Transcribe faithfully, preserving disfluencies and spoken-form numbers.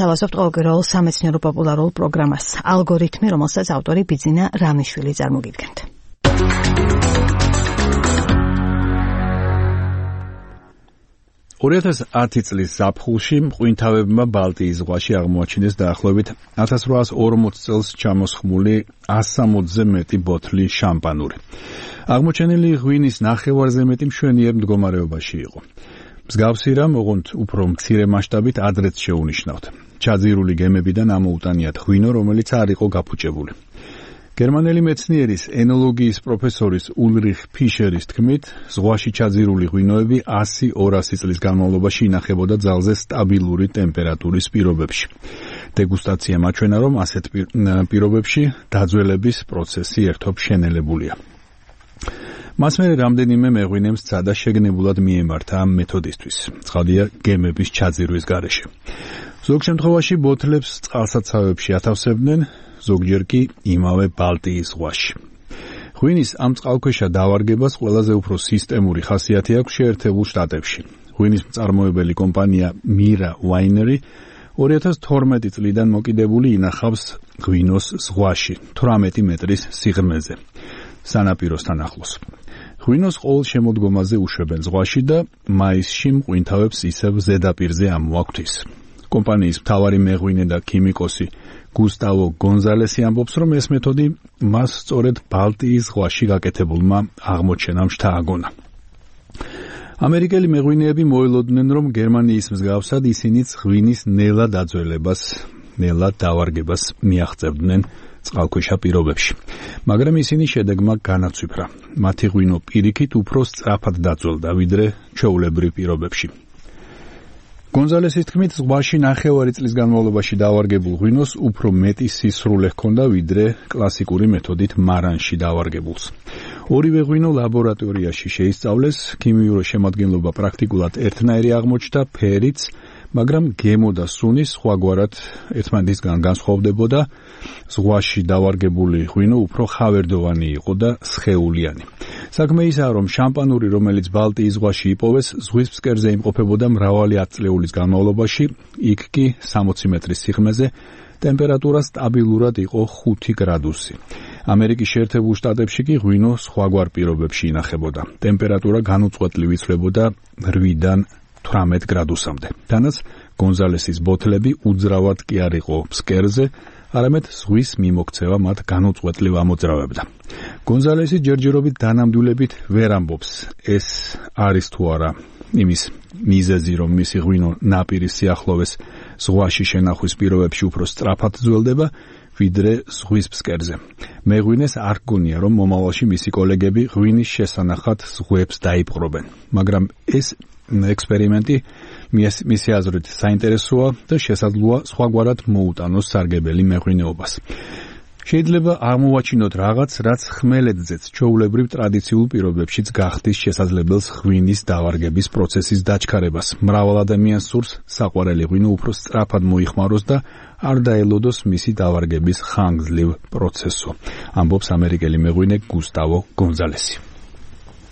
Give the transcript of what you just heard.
თავაზობთ ყოველკვირეულ სამეცნიერო პოპულარულ პროგრამას ალგორითმი, რომელსაც ავტორი ბიძინა რამიშვილი წარმოგიდგენთ. ორი ათას ათი წლის ზაფხულში მღვინთავებმა ბალტიის ზღვაში აღმოაჩინეს დაახლოებით ათას რვაას ორმოც წელს ჩამოსხმული ასამოცზე მეტი ბოთლი შამპანური. აღმოჩენილი ღვინის ნახევარზე მეტი მშვენიერ მდგომარეობაში იყო. მსგავსი რამ, ოღონდ უფრო მცირე მასშტაბით ადრეც შეუნიშნავთ. ჩაძირული გემებიდან ამოუტანიათ ღვინო, რომელიც არ იყო გაფუჭებული. გერმანელი მეცნიერის ენოლოგიის პროფესორის ულრიხ ფიშერის თქმით, ზღვაში ჩაძირული ღვინოები ასი ორასი წლის განმავლობაში ინახებოდა ძალზე სტაბილური ტემპერატურის პირობებში. დეგუსტაცია მაჩვენა, რომ ასეთ პირობებში დაძველების პროცესი ერთობ შენელებულია. მას მერე რამდენიმე მეღვინემ სცადა შეგნებულად მიემართა ამ მეთოდისთვის, ცხადია გემების ჩაძირვის გარეშე. ზოგ შემთხვევაში ბოთლებს წყალსაცავებში ათავსებდნენ, ზოგჯერ კი იმავე ბალტიის ზღვაში. ღვინის ამ წყალქვეშა დავარგებას ყველაზე უფრო სისტემური ხასიათი აქვს შეერთებულ შტატებში. ღვინის მწარმოებელი კომპანია მირა ვაინერი ორი ათას თორმეტი წლიდან მოკიდებული ინახავს ღვინოს ზღვაში, თვრამეტი მეტრის სიღრმეზე, სანაპიროსთან ახლოს. ღვინოს ყოველ შემოდგომაზე უშვებენ ზღვაში და მაისში მღვინთავებს ისევ ზედაპირზე ამოაქვთ. კომპანიის მთავარი მეღვინე და ქიმიკოსი გუსტავო გონზალესი ამბობს, რომ ეს მეთოდი მას სწორედ ბალტიის ზღვაში გაკეთებულმა აღმოჩენამ შთააგონა. ამერიკელი მეღვინეები მოელოდნენ, რომ გერმანიის მსგავსად ისინიც ღვინის ნელა დაძველებას, ნელა დავარგებას მიაღწევდნენ წყალქვეშა პირობებში. მაგრამ ისინი შედეგმა განაცვიფრა. მათი ღვინო პირიქით უფრო სწრაფად დაძველდა, ვიდრე ჩვეულებრივ პირობებში. გონზალესის თქმით, ზღვაში ნახევარი წლის განმავლობაში დავარგებულ ღვინოს უფრო მეტი სისრულე ჰქონდა, ვიდრე კლასიკური მეთოდით მარანში დავარგებულს. ორივე ღვინო ლაბორატორიაში შეისწავლეს, ქიმიური შემადგენლობა პრაქტიკულად ერთნაირი აღმოჩნდა, ფერიც, მაგრამ გემო და სუნი სხვაგვარად ერთმანეთისგან განსხვავდებოდა. ზღვაში დავარგებული ღვინო უფრო ხავერდოვანი იყო და სხეულიანი. საქმე ისაა, რომ შამპანური, რომელიც ბალტიის ზღვაში იპოვეს, ზღვის ფსკერზე იმყოფებოდა მრავალი ათწლეულის განმავლობაში, იქ კი სამოცი მეტრის სიღრმეზე ტემპერატურა სტაბილურად იყო ხუთი გრადუსი. ამერიკის შეერთებულ შტატებში კი ღვინო სხვაგვარ პირობებში ინახებოდა. ტემპერატურა განუწყვეტლივ იცვლებოდა რვიდან თვრამეტ გრადუსამდე. თანაც გონზალესის ბოთლები უძრავად კი არ იყო ფსკერზე, არამედ ზღვის მიმოქცევა მათ განუწყვეტლივ ამოძრავებდა. გონზალესი ჯერჯერობით დანამდვილებით ვერ ამბობს, ეს არის თუ არა იმის მიზეზი, რომ მისი ღვინო ნაპირის სიახლოვეს ზღვაში შენახვის პირობებში უფრო სწრაფად ძველდება, ვიდრე ზღვის ფსკერზე. მეღვინეს არ გონია, რომ მომავალში მისი კოლეგები ღვინის შესანახად ზღვებს დაიპყრობენ, მაგრამ ეს ექსპერიმენტი მისი აზრით საინტერესოა და შესაძლოა სხვაგვარად მოუტანოს სარგებელი მეღვინეობას. შეიძლება აღმოვაჩინოთ რაღაც, რაც ხმელეთზეც ჩვეულებრივ ტრადიციულ პირობებშიც გახდის შესაძლებელს ღვინის დავარგების პროცესის დაჩქარებას. მრავალ ადამიანს სურს საყვარელი ღვინო უფრო სწრაფად მოიხმაროს და არ დაელოდოს მისი დავარგების ხანგრძლივ პროცესო, ამბობს ამერიკელი მეღვინე გუსტავო გონზალესი.